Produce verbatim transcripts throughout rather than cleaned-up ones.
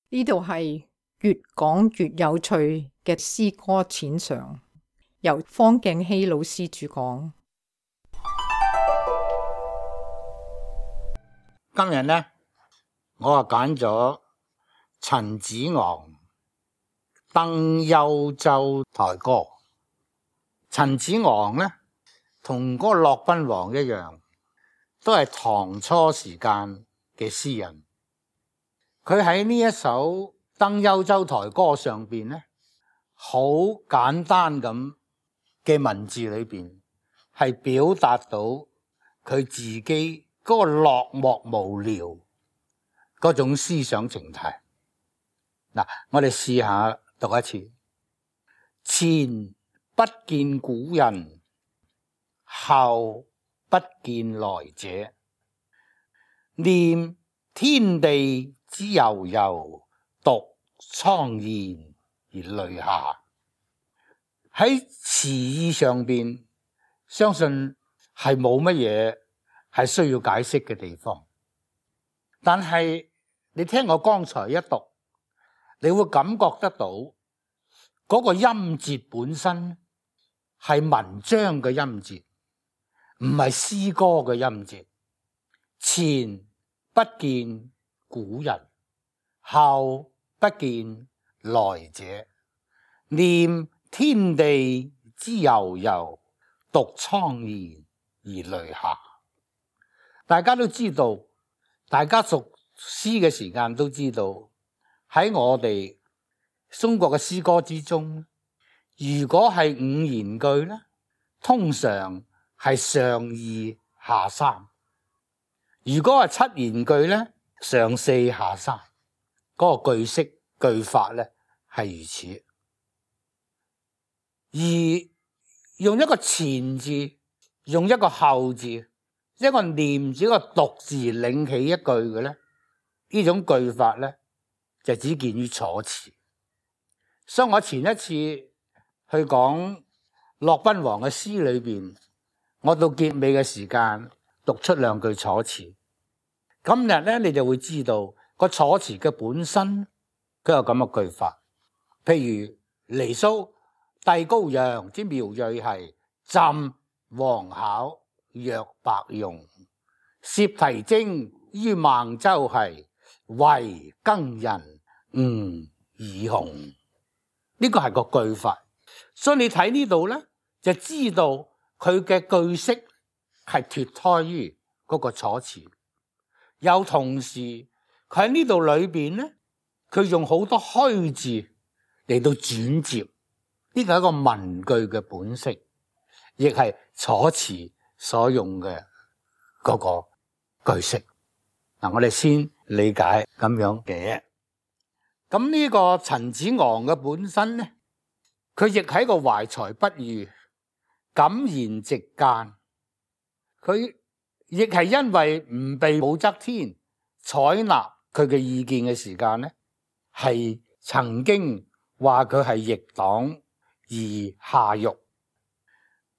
呢度係越講越有趣嘅詩歌淺嘗，由方敬熙老師主講。今日呢，我啊揀咗陳子昂《登幽州台歌》。陳子昂呢，同嗰個駱賓王一樣，都係唐初時間嘅詩人。佢喺呢一首《登幽州台歌》上邊呢，好簡單咁嘅文字裏邊，係表達到佢自己嗰個落寞無聊嗰種思想情態。嗱，我哋試下讀一次：前不見古人，後不見來者，念天地之悠悠，獨愴然而淚下。喺詞意上邊，相信係冇乜嘢係需要解釋嘅地方。但係你聽我剛才一讀，你會感覺得到嗰個音節本身係文章嘅音節，唔係詩歌嘅音節。前不見古人，後不見來者，念天地之悠悠，獨愴然而淚下。大家都知道，大家熟詩嘅時間都知道，喺我哋中國嘅詩歌之中，如果係五言句咧，通常係上二下三；如果係七言句咧，上四下三。嗰個句式句法咧係如此。而用一個前字，用一個後字，一個念字，一個讀字領起一句嘅咧，呢種句法咧就只見於楚辭。所以我前一次去講駱賓王嘅詩裏邊，我到結尾嘅時間讀出兩句楚辭。今日咧你就會知道個楚辭嘅本身佢有咁嘅句法。譬如離騷帝高陽之苗裔係，朕王考若白容，攝題徵於孟州係，為耕人吳以紅。呢個係個句法，所以你睇呢度咧就知道佢嘅句式係脫胎於嗰個楚辭。又同時佢喺呢度裏邊咧，佢用好多虛字嚟到轉接，呢個係一個文句嘅本色，亦係楚辭所用嘅嗰個句式。嗱，我哋先理解咁樣嘅。咁呢個陳子昂嘅本身咧，佢亦係一個懷才不遇、敢言直諫。佢亦係因為唔被武則天採納佢嘅意見嘅時間咧，係曾經話佢係逆黨而下獄，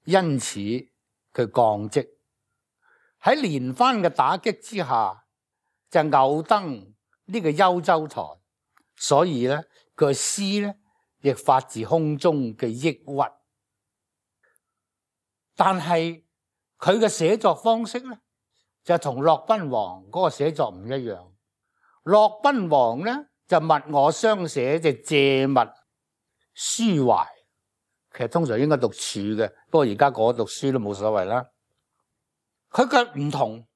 因此佢降職。喺連番嘅打擊之下，就偶登呢個幽州台，所以咧佢嘅詩咧亦發自胸中嘅抑鬱。但係佢嘅寫作方式咧，就同駱賓王嗰個寫作唔一樣。駱賓王咧就物我相寫，就借物抒懷。其實通常應該讀處嘅，不過而家嗰個讀書都冇所謂啦。佢嘅唔同，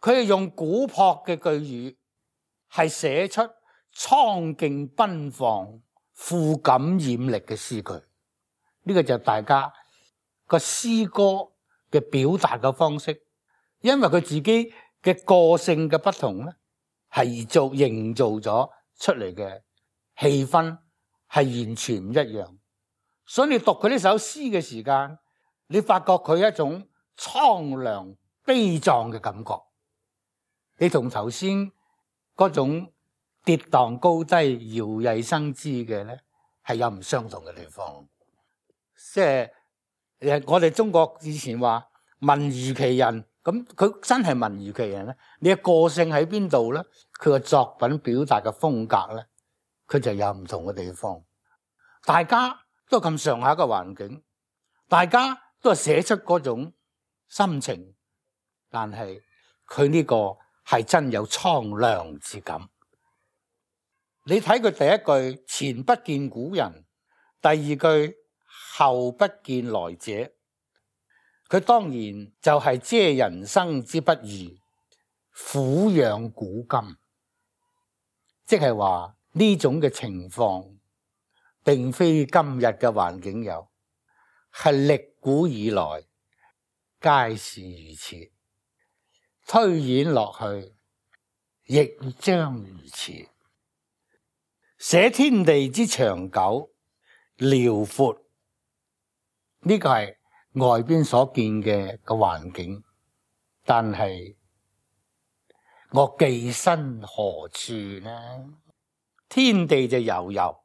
佢係用古樸嘅句語，係寫出蒼勁奔放、富感染力嘅詩句。呢個就係大家個詩歌嘅表達嘅方式，因為佢自己嘅個性嘅不同咧，係做營造咗出嚟嘅氣氛係完全唔一樣。所以你讀佢呢首詩嘅時間，你發覺佢一種蒼涼悲壯嘅感覺，你同頭先嗰種跌宕高低、搖曳生姿嘅咧，係有唔相同嘅地方。即係誒，我哋中國以前話文如其人，咁佢真係文如其人咧。你嘅個性喺邊度咧？佢嘅作品表達嘅風格咧，佢就有唔同嘅地方。大家都咁上下嘅環境，大家都係寫出嗰種心情，但係佢呢個係真有蒼涼之感。你睇佢第一句前不見古人，第二句後不見來者，佢當然就係遮人生之不易，撫養古今，即係話呢種嘅情況並非今日嘅環境有，係歷古以來皆是如此，推演落去亦將如此。寫天地之長久遼闊，呢個係外邊所見嘅個環境，但係我寄身何處呢？天地就悠悠，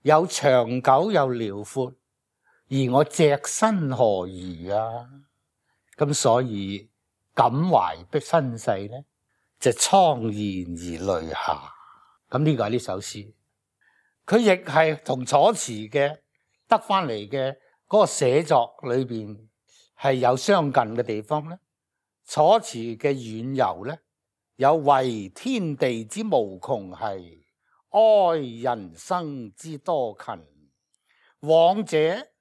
有長久有遼闊，而我隻身何如啊？咁所以感懷的身世呢，就愴然而淚下。咁呢個係呢首詩，佢亦係同楚辭嘅得翻嚟嘅嗰個寫作裏邊係有相近嘅地方咧。楚辭嘅遠遊咧，有為天地之無窮兮，哀人生之多勤。往者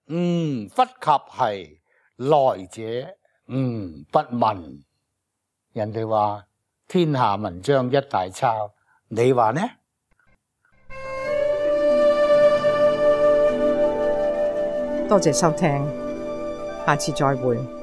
吾忽及兮，來者吾不聞。人哋話天下文章一大抄，你話呢？多謝收聽，下次再會。